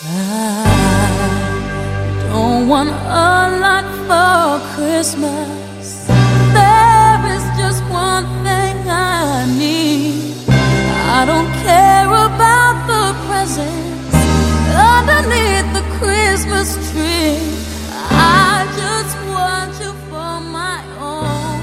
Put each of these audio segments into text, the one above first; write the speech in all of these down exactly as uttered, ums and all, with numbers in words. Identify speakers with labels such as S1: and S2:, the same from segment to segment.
S1: I don't want a lot for Christmas. There is just one thing I need. I don't care about the presents underneath the Christmas tree. I just want you for my own.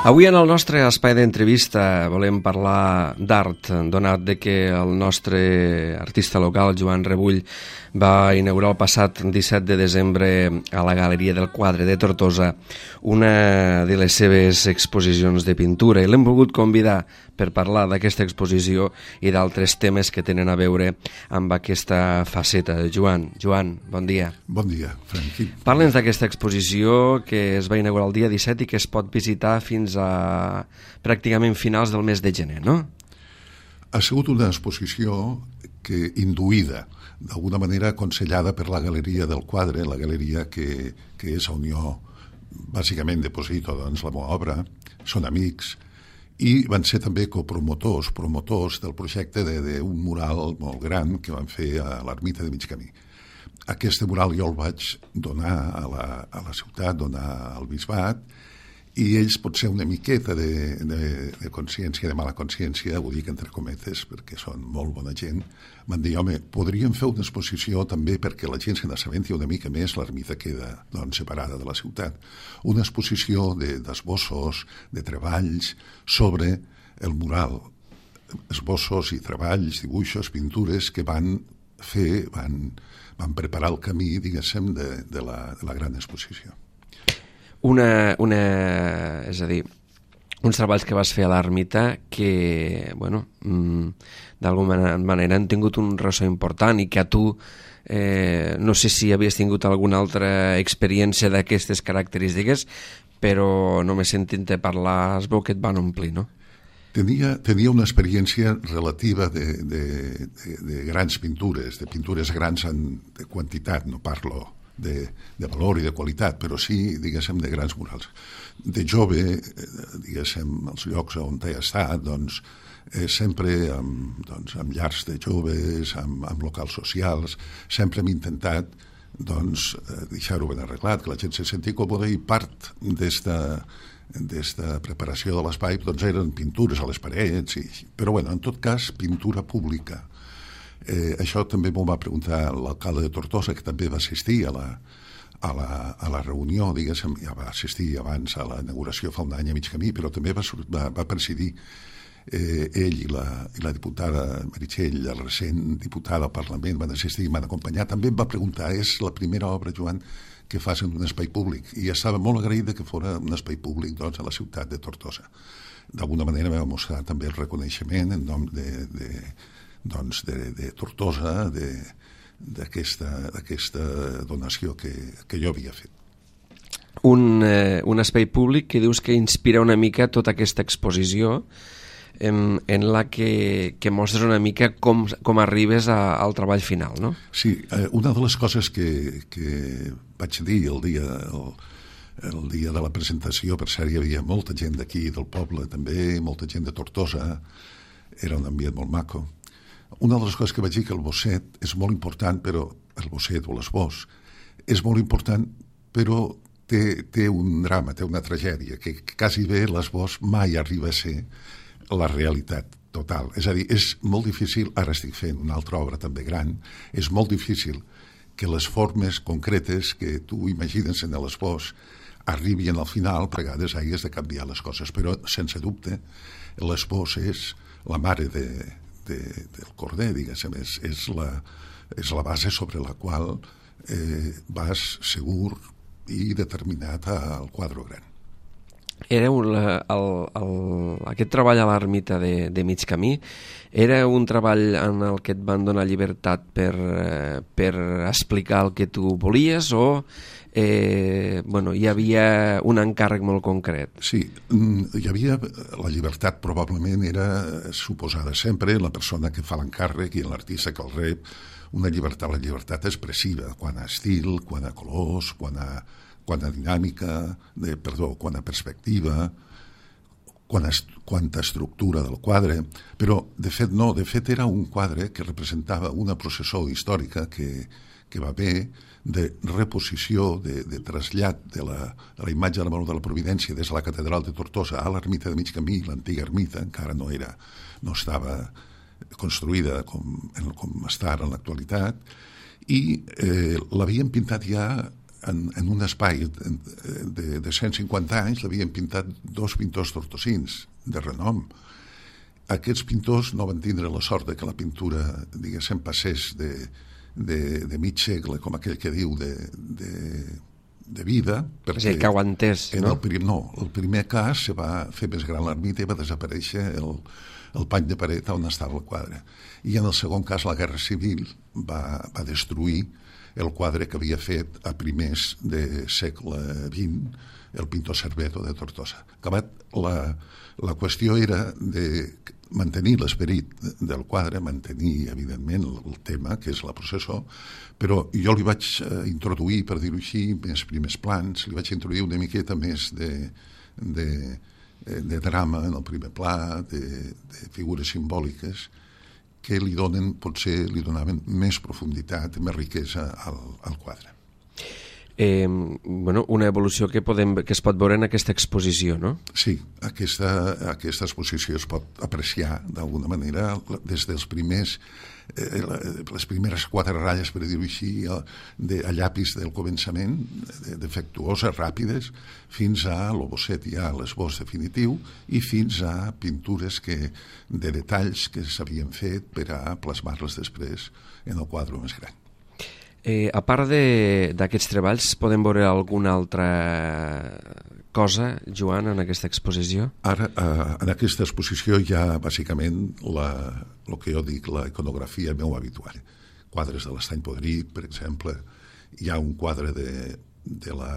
S2: Avui en el nostre espai d'entrevista volem parlar d'art, donat de que el nostre artista local, Joan Rebull, va inaugurar el passat disset de desembre a la Galeria del Quadre de Tortosa una de les seves exposicions de pintura, i l'hem volgut convidar per parlar d'aquesta exposició i d'altres temes que tenen a veure amb aquesta faceta. Joan, Joan, bon dia.
S3: Bon dia, Franqui.
S2: Parla'ns d'aquesta exposició que es va inaugurar el dia disset i que es pot visitar fins a pràcticament finals del mes de gener, no?
S3: Ha sigut una exposició que induïda, d'alguna manera aconsellada per la Galeria del Quadre, la galeria que, que és on jo bàsicament deposito doncs, la meva obra, són amics, i van ser també copromotors, promotors del projecte d'un mural molt gran que van fer a l'Ermita de Mig Camí. Aquest mural jo el vaig donar a la, a la ciutat, donar al bisbat, i ells potser una miqueta de, de, de consciència, de mala consciència, ho dic entre cometes perquè són molt bona gent, van dir, home, podríem fer una exposició també perquè la gent se n'assabenti una mica més, l'ermita queda doncs, separada de la ciutat. Una exposició d'esbossos, de, de treballs sobre el mural, esbossos i treballs, dibuixos, pintures que van fer, van, van preparar el camí, diguéssim, de, de, la, de la gran exposició.
S2: Una, una, és a dir, uns treballs que vas fer a l'ermita que, bueno, d'alguna manera han tingut un ressò important i que a tu, eh, no sé si havies tingut alguna altra experiència d'aquestes característiques, però només sentint-te parlar es veu que et van omplir, no?
S3: Tenia, tenia una experiència relativa de, de, de, de grans pintures, de pintures grans en, de quantitat, no parlo De, de valor i de qualitat, però sí, diguéssim, de grans murals. De jove, diguéssim, als llocs on he estat, doncs, eh, sempre amb, doncs, amb llars de joves, amb, amb locals socials, sempre hem intentat doncs, deixar-ho ben arreglat, que la gent se senti còmoda, i part d'esta d'esta preparació de l'espai doncs, eren pintures a les parets, i, però bueno, en tot cas, pintura pública. Eh, això també m'ho va preguntar l'alcalde de Tortosa, que també va assistir a la, a la, a la reunió, diguéssim, ja va assistir abans a la inauguració fa un any a Mig Camí, però també va, va, va presidir eh, ell i la, i la diputada Meritxell, la recent diputada al Parlament, van assistir i m'han acompanyat. També em va preguntar, és la primera obra, Joan, que fas en un espai públic, i estava molt agraïda que fos un espai públic doncs, a la ciutat de Tortosa. D'alguna manera va mostrar també el reconeixement en nom de, de doncs, de, de Tortosa, d'aquesta donació que, que jo havia fet.
S2: Un, eh, un espai públic que dius que inspira una mica tota aquesta exposició en, en la que, que mostres una mica com, com arribes a, al treball final, no?
S3: Sí, eh, una de les coses que, que vaig dir el dia, el, el dia de la presentació, per cert, hi havia molta gent d'aquí, del poble també, molta gent de Tortosa, era un ambient molt maco. Una de les coses que vaig dir que el bosset és molt important, però el bosset o l'esbós és molt important, però té, té un drama, té una tragèdia, que, que quasi bé l'esbós mai arriba a ser la realitat total. És a dir, és molt difícil, ara estic fent una altra obra també gran, és molt difícil que les formes concretes que tu imagines en l'esbós arribin al final, a vegades hagis de canviar les coses, però sense dubte l'esbós és la mare de De, del corder, diguéssim, és, és, la, és la base sobre la qual eh, vas segur i determinat al quadre gran.
S2: Era un, el, el, aquest treball a l'ermita de, de Mig Camí era un treball en el que et van donar llibertat per, eh, per explicar el que tu volies o eh, bueno, hi havia un encàrrec molt concret?
S3: Sí, hi havia la llibertat, probablement era suposada sempre la persona que fa l'encàrrec i l'artista que el rep, una llibertat, la llibertat expressiva, quant a estil, quant a colors, quant a, quant a dinàmica, de, perdó, quant a perspectiva, quant a, quant a estructura del quadre, però de fet no, de fet era un quadre que representava una processó històrica que, que va haver de reposició, de, de trasllat de la, de la imatge de la Mare de la Providència des de la catedral de Tortosa a l'ermita de mig camí, l'antiga ermita, encara no era, no estava construïda com, com està ara en l'actualitat, i eh, l'havien pintat ja en, en un espai de, de cent cinquanta anys, l'havien pintat dos pintors tortosins de renom. Aquests pintors no van tindre la sort de que la pintura, diguéssim, passés de, de, de mig segle, com aquell que diu, de, de, de vida.
S2: És a dir, que aguantés, no?
S3: El prim, no, el primer cas se va fer més gran l'ermita i va desaparèixer el, el pany de paret on estava el quadre. I en el segon cas, la Guerra Civil va, va destruir el quadre que havia fet a primers de segle vint el pintor Cerveto de Tortosa. Acabat, la, la qüestió era de mantenir l'esperit del quadre, mantenir, evidentment, el tema, que és la processó, però jo li vaig introduir, per dir-ho així, més primers plans, li vaig introduir una miqueta més de, de, de drama en el primer pla, de, de figures simbòliques, que li donen, potser li donaven més profunditat, més riquesa al, al quadre.
S2: Eh, bueno, una evolució que, podem, que es pot veure en aquesta exposició, no?
S3: Sí, aquesta, aquesta exposició es pot apreciar d'alguna manera des dels primers, eh, les primeres quatre ratlles, per dir-ho així, de, a llapis del començament, defectuoses, ràpides, fins a l'obosset ja, l'esbós definitiu, i fins a pintures que, de detalls que s'havien fet per a plasmar-les després en el quadre més gran.
S2: Eh, a part d'aquests treballs, podem veure alguna altra cosa, Joan, en aquesta exposició?
S3: Ara, eh, en aquesta exposició hi ha, bàsicament, la, el que jo dic, la iconografia meu habitual. Quadres de l'Estany Podrit, per exemple. Hi ha un quadre de, de la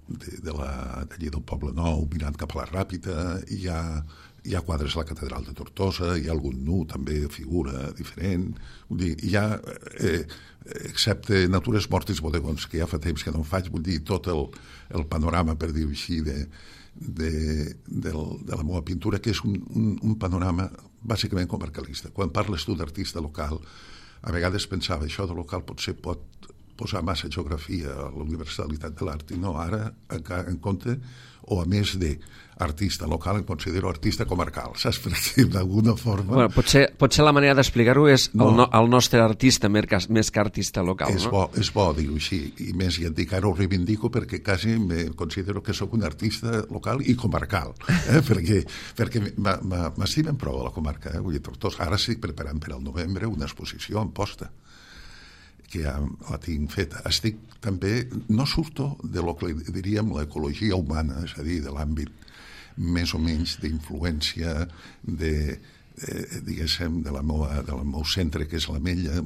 S3: de, de la d'allí del Poble Nou mirant cap a la Ràpita, hi ha, hi ha quadres a la catedral de Tortosa, hi ha algun nu també, figura diferent, vull dir, hi ha eh, excepte Natures Mortis Bodegons, que ja fa temps que no en faig, vull dir, tot el, el panorama, per dir-ho així, de, de, de, de la meva pintura, que és un, un, un panorama bàsicament comarcalista. Quan parles tu d'artista local, a vegades pensava, això de local potser pot posar massa geografia a la universalitat de l'art, i no, ara, en compte, o a més d'artista local, em considero artista comarcal, saps? Per dir d'alguna forma...
S2: Bueno, potser, potser la manera d'explicar-ho és no, el, no, el nostre artista més que artista local,
S3: és
S2: no?
S3: Bo, és bo dir-ho així, i més i et dic, ara ho reivindico perquè quasi me considero que sóc un artista local i comarcal, eh? perquè, perquè m'estimen prou a la comarca, eh? Vull dir, Tortosa, ara estic preparant per al novembre una exposició en posta, que ja la tinc feta. Estic també, no surto de lo que diríem l'ecologia humana, és a dir, de l'àmbit més o menys d'influència de, eh, diguéssim, de la meua, del meu centre, que és l'Ametlla,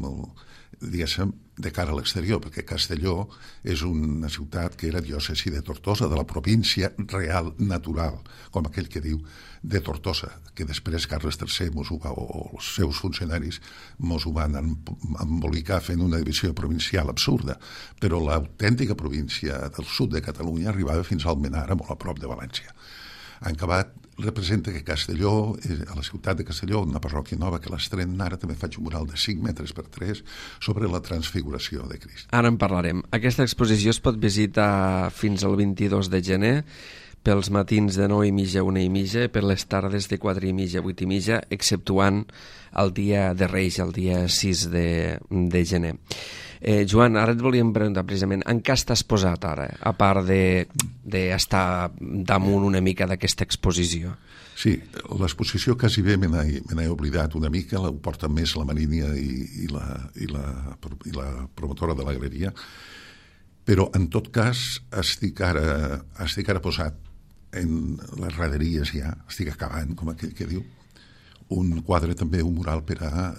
S3: diguéssim, de cara a l'exterior, perquè Castelló és una ciutat que era diòcesi de Tortosa, de la província real, natural, com aquell que diu, de Tortosa, que després Carles tercer mos ho va, o els seus funcionaris mos ho van embolicar fent una divisió provincial absurda, però l'autèntica província del sud de Catalunya arribava fins al Almenara, molt a prop de València. En acabat, representa que Castelló, a la ciutat de Castelló, una parròquia nova que l'estrenem ara, també faig un mural de cinc metres per tres sobre la transfiguració de Crist.
S2: Ara en parlarem. Aquesta exposició es pot visitar fins al vint-i-dos de gener, pels matins de nou i mitja a una i mitja, per les tardes de quatre i mitja a vuit i mitja, exceptuant el dia de Reis, el dia sis de, de gener. Eh, Joan, ara et volíem preguntar precisament en què estàs posat ara, a part d'estar de, damunt una mica d'aquesta exposició?
S3: Sí, l'exposició quasi bé me n'he oblidat una mica, ho porta més la Marínia i, i, la, i, la, i la promotora de la galeria, però en tot cas estic ara, estic ara posat en les raderies ja, estic acabant, com aquell que diu, un quadre també, un mural per a,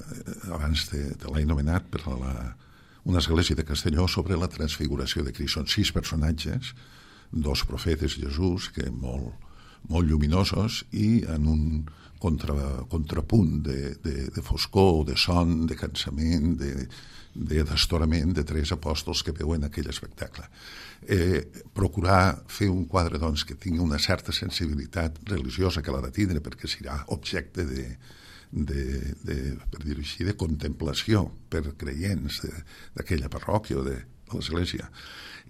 S3: abans de, de l'he anomenat, per a la, una església de Castelló sobre la transfiguració de Crist. Són sis personatges, dos profetes Jesús, que molt, molt lluminosos, i en un contra, contrapunt de, de, de foscor, de son, de cansament, de, de destorament de tres apòstols que veuen aquell espectacle. Eh, procurar fer un quadre doncs, que tingui una certa sensibilitat religiosa que l'ha de tindre, perquè serà objecte de, de, de, per dir-ho així, de contemplació per creients d'aquella parròquia o de l'església,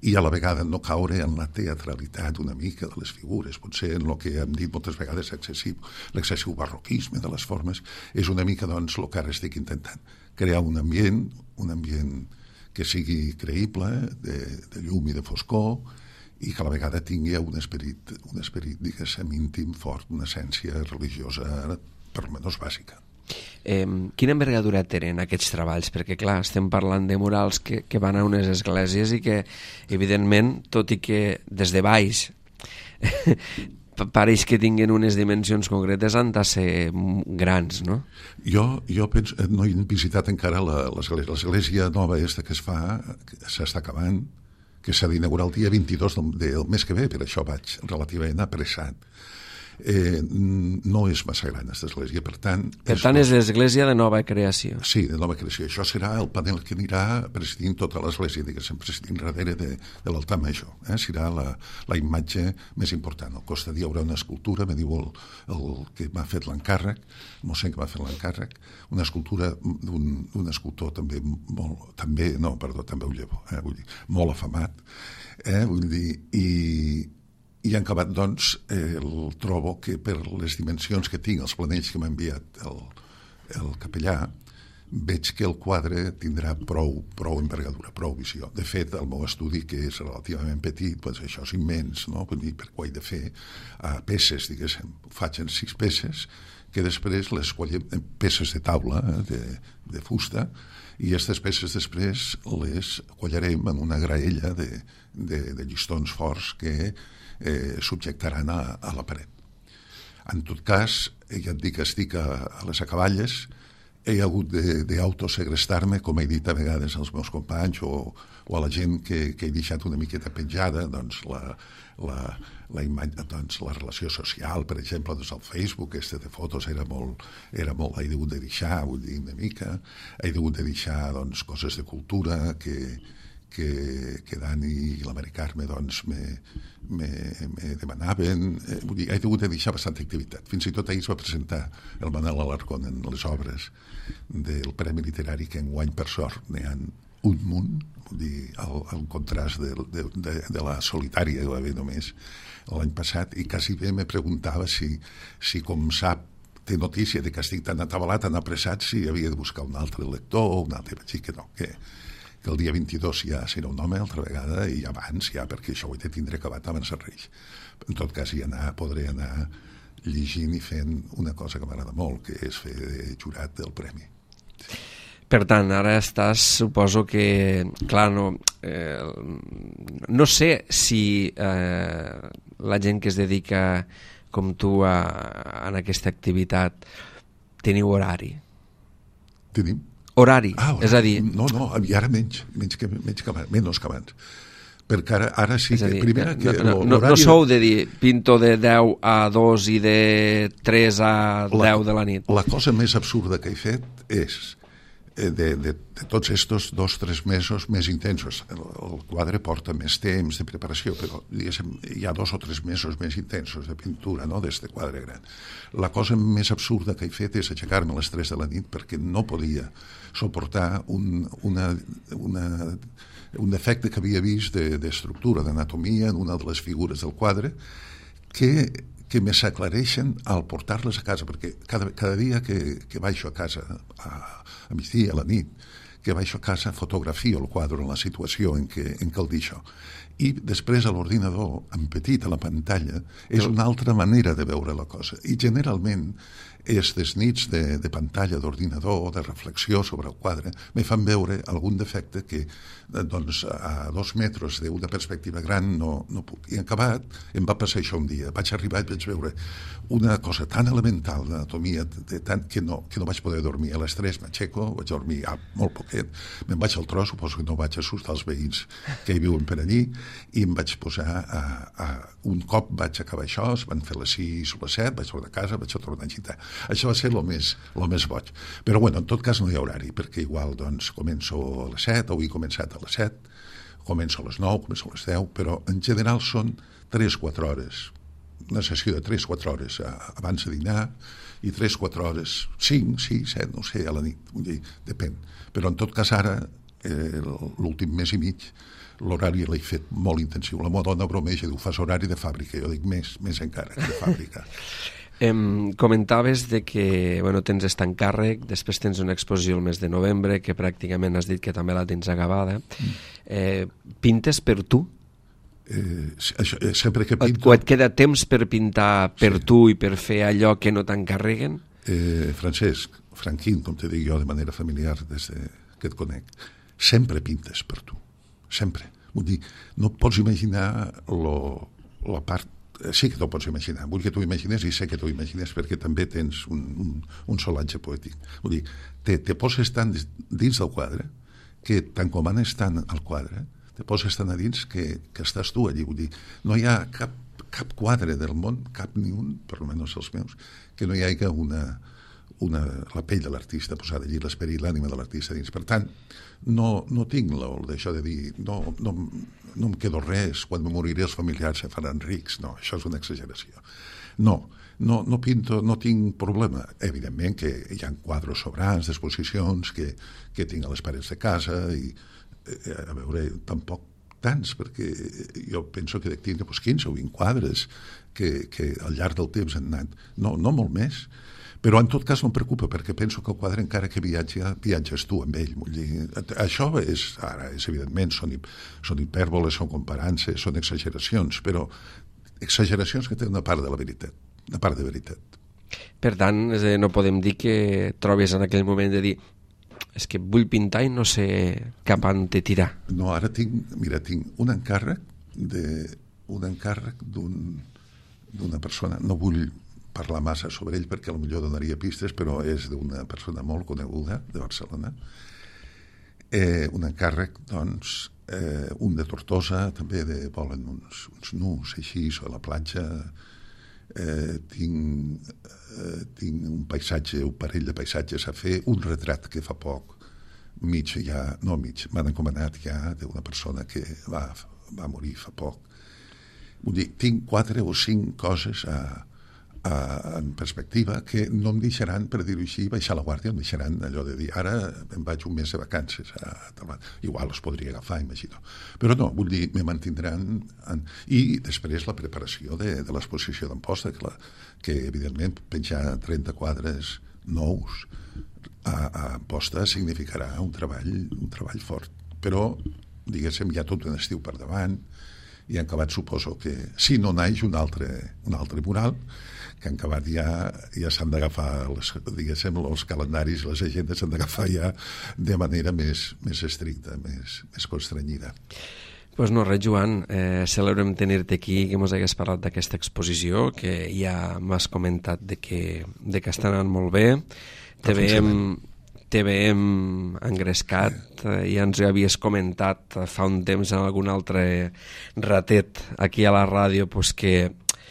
S3: i a la vegada no caure en la teatralitat una mica de les figures, potser en el que hem dit moltes vegades excessiu, l'excessiu barroquisme de les formes, és una mica doncs el que ara estic intentant, crear un ambient, un ambient que sigui creïble, de, de llum i de foscor, i que a la vegada tingui un esperit, un esperit diguéssim, íntim, fort, una essència religiosa per almenys bàsica.
S2: Eh, quina envergadura tenen aquests treballs? Perquè, clar, estem parlant de murals que, que van a unes esglésies i que, evidentment, tot i que des de baix pareix que tinguin unes dimensions concretes, han de ser grans, no?
S3: Jo, jo penso, no he visitat encara l'església. L'església nova aquesta que es fa, s'està acabant, que s'ha d'inaugurar el dia vint-i-dos del, del mes que ve, per això vaig relativament apressat. Eh, no és massa gran aquesta església, per tant...
S2: Per tant és l'església de nova creació.
S3: Sí, de nova creació. Això serà el panel que anirà presidint tota l'església, diguéssim, presidint darrere de, de l'altar major. Eh? Serà la, la imatge més important. Al costat hi haurà una escultura, me diu el, el que m'ha fet l'encàrrec, el mossèn que m'ha fet l'encàrrec, una escultura d'un, d'un escultor també molt... també, no, perdó, també ho llevo, eh? Vull dir, molt afamat, eh? Vull dir, i... I en acabat, doncs, eh, el trobo que per les dimensions que tinc, els planells que m'ha enviat el, el capellà, veig que el quadre tindrà prou, prou envergadura, prou visió. De fet, el meu estudi, que és relativament petit, doncs això és immens, no? Vull dir, perquè ho he de fer a peces, diguéssim. Ho faig en sis peces, que després les quallem, peces de taula, eh, de, de fusta, i aquestes peces després les quallarem en una graella de, de, de llistons forts que eh, subjectaran a, a la paret. En tot cas, ja et dic que estic a, a les acaballes, he hagut d'autosegrestar-me, com he dit a vegades als meus companys o, o a la gent que, que he deixat una miqueta penjada, doncs la, la, la, imatge, doncs la relació social, per exemple, doncs el Facebook, este de fotos era molt, era molt, he hagut de deixar, vull dir, una mica, he hagut de deixar doncs, coses de cultura que, que, que Dani i la Mari Carme doncs, me, me, me demanaven. Eh, vull dir, he hagut de deixar bastanta activitat. Fins i tot ahir es va presentar el Manel Alarcón en les obres del Premi Literari, que enguany, per sort, n'hi ha un munt, vull dir, el, el contrast de, de, de, de la solitària que va haver només l'any passat, i quasi bé me preguntava si, si com sap, té notícia de que estic tan atabalat, tan apressat, si havia de buscar un altre lector o un altre, vaig dir que no, que, que el dia vint-i-dos ja serà un home altra vegada, i abans ja, perquè això ho he de tindre acabat abans dels Reis. En tot cas, hi anar, podré anar llegint i fent una cosa que m'agrada molt, que és fer de jurat del premi.
S2: Per tant, ara estàs, suposo que, clar, no, eh, no sé si eh, la gent que es dedica com tu a, a aquesta activitat teniu horari.
S3: Tenim.
S2: Horari,
S3: ah,
S2: és a dir...
S3: No, no, i ara menys, menys que, menys que abans, menys que abans. Perquè ara, ara sí que...
S2: Dir,
S3: primera, que
S2: no, no, no sou de dir pinto de deu a dos i de tres a deu de la nit.
S3: La cosa més absurda que he fet és de, de, de tots estos dos o tres mesos més intensos. El, el quadre porta més temps de preparació, però diguéssim, hi ha dos o tres mesos més intensos de pintura, no?, d'este quadre gran. La cosa més absurda que he fet és aixecar-me a les tres de la nit perquè no podia suportar un, una, una, un defecte que havia vist d'estructura, de, d'anatomia en una de les figures del quadre, que que me s'aclareixen al portar-les a casa, perquè cada, cada dia que, que baixo a casa, a, a migdia, a la nit, que baixo a casa, fotografio el quadre en la situació en què, en què el deixo. I després a l'ordinador, en petit a la pantalla, és una altra manera de veure la cosa. I generalment, aquestes nits de, de pantalla, d'ordinador, de reflexió sobre el quadre, me fan veure algun defecte que, doncs, a dos metres d'una perspectiva gran no, no puc. I en acabat, em va passar això un dia. Vaig arribar i vaig veure una cosa tan elemental d'anatomia de tant que no, que no vaig poder dormir. A les tres m'aixeco, vaig dormir ah, molt poquet, me'n vaig al tros, suposo que no vaig assustar els veïns que hi viuen per allí, i em vaig posar a, a... Un cop vaig acabar això, es van fer les sis o les set, vaig tornar a casa, vaig tornar a gitar. Això va ser el més, lo més boig. Però, bueno, en tot cas no hi ha horari, perquè igual, doncs, començo a les set, avui he començat a les set, començo a les nou, començo a les deu, però en general són tres o quatre hores, una sessió de tres o quatre hores abans de dinar, i tres o quatre hores, cinc, sis, set, no sé, a la nit, depèn. Però en tot cas ara, eh, l'últim mes i mig, l'horari l'he fet molt intensiu. La meva dona bromeja, diu, fas horari de fàbrica. Jo dic, més, més encara, que de fàbrica.
S2: Em comentaves de que bueno, tens aquest encàrrec, després tens una exposició el mes de novembre, que pràcticament has dit que també la tens acabada. Eh, pintes per tu?
S3: Eh, això, eh, sempre que pinto...
S2: O et queda temps per pintar per sí. tu i per fer allò que no t'encarreguen?
S3: Eh, Francesc, Franquín, com te dic jo de manera familiar des de que et conec, sempre pintes per tu, sempre. Vull dir, no et pots imaginar lo, la part... Sí que t'ho pots imaginar, vull que t'ho imagines i sé que t'ho imagines perquè també tens un, un, un solatge poètic. Vull dir, te, te poses tant dins del quadre que tant com anes tant al quadre te poses tan a dins que, que estàs tu allí. Vull dir, no hi ha cap, cap quadre del món, cap ni un, per almenys els meus, que no hi hagi una, una, la pell de l'artista posada allí, l'esperit, l'ànima de l'artista dins. Per tant, no, no tinc d'això de dir, no, no, no em quedo res, quan me moriré els familiars se faran rics. No, això és una exageració. No, no, no pinto, no tinc problema. Evidentment que hi ha quadres sobrants d'exposicions que, que tinc a les parets de casa i a veure, tampoc tants, perquè jo penso que de tindre doncs, quinze o vint quadres que, que al llarg del temps han anat, no, no molt més, però en tot cas no em preocupa, perquè penso que el quadre encara que viatja, viatges tu amb ell. Vull dir, això és, ara, és evidentment, són, són hipèrboles, són comparances, són exageracions, però exageracions que tenen una part de la veritat, una part de veritat.
S2: Per tant, no podem dir que trobes en aquell moment de dir és que vull pintar i no sé cap on te tirar.
S3: No, ara tinc, mira, tinc un encàrrec de, un encàrrec d'un, d'una persona, no vull parlar massa sobre ell perquè potser donaria pistes, però és d'una persona molt coneguda de Barcelona. Eh, un encàrrec, doncs, eh, un de Tortosa, també de, volen uns, uns nus així a la platja. Eh, tinc, eh, tinc un paisatge, un parell de paisatges a fer, un retrat que fa poc, mig ja, no mig, m'han encomanat ja d'una persona que va, va morir fa poc. Vull dir, tinc quatre o cinc coses a, a, en perspectiva que no em deixaran, per dir-ho així, baixar la guàrdia, em deixaran allò de dir, ara em vaig un mes de vacances, a, a, igual els podria agafar, imagino. Però no, vull dir, me mantindran... En, i després la preparació de, de l'exposició d'Amposta, que, la, que evidentment penjar trenta quadres nous a, a Amposta significarà un treball, un treball fort. Però, diguéssim, hi ha tot un estiu per davant, i en acabat suposo que si no naix un altre, un altre mural, que en acabat ja, ja s'han d'agafar les, diguéssim, els calendaris, les agendes s'han d'agafar ja de manera més, més estricta, més, més constrenyida.
S2: Pues no res, Joan, eh, celebrem tenir-te aquí, que ens hagués parlat d'aquesta exposició, que ja m'has comentat de que, de que està anant molt bé. Te veiem, te veiem engrescat, eh, ja ens ho havies comentat fa un temps en algun altre ratet aquí a la ràdio, pues que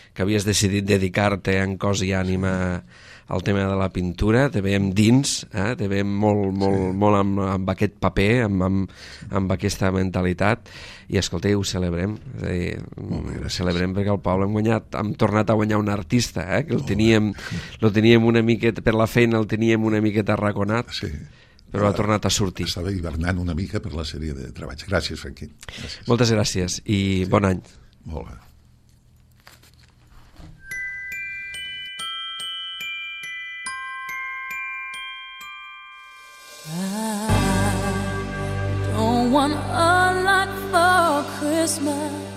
S2: que havies decidit dedicar-te en cos i ànima al tema de la pintura, te veiem dins, eh? te veiem molt, molt, sí. molt amb, amb aquest paper, amb, amb, amb aquesta mentalitat, i escolta, ho celebrem, és a dir, ho celebrem perquè el poble hem guanyat, hem tornat a guanyar un artista, eh? que el teníem, el teníem una miqueta, per la feina el teníem una miqueta arraconat, sí. però ha tornat a sortir.
S3: Estava hivernant una mica per la sèrie de treballs. Gràcies, Franquín. Gràcies.
S2: Moltes gràcies i sí. bon any.
S3: Molt bé.
S1: I don't want a lot for Christmas.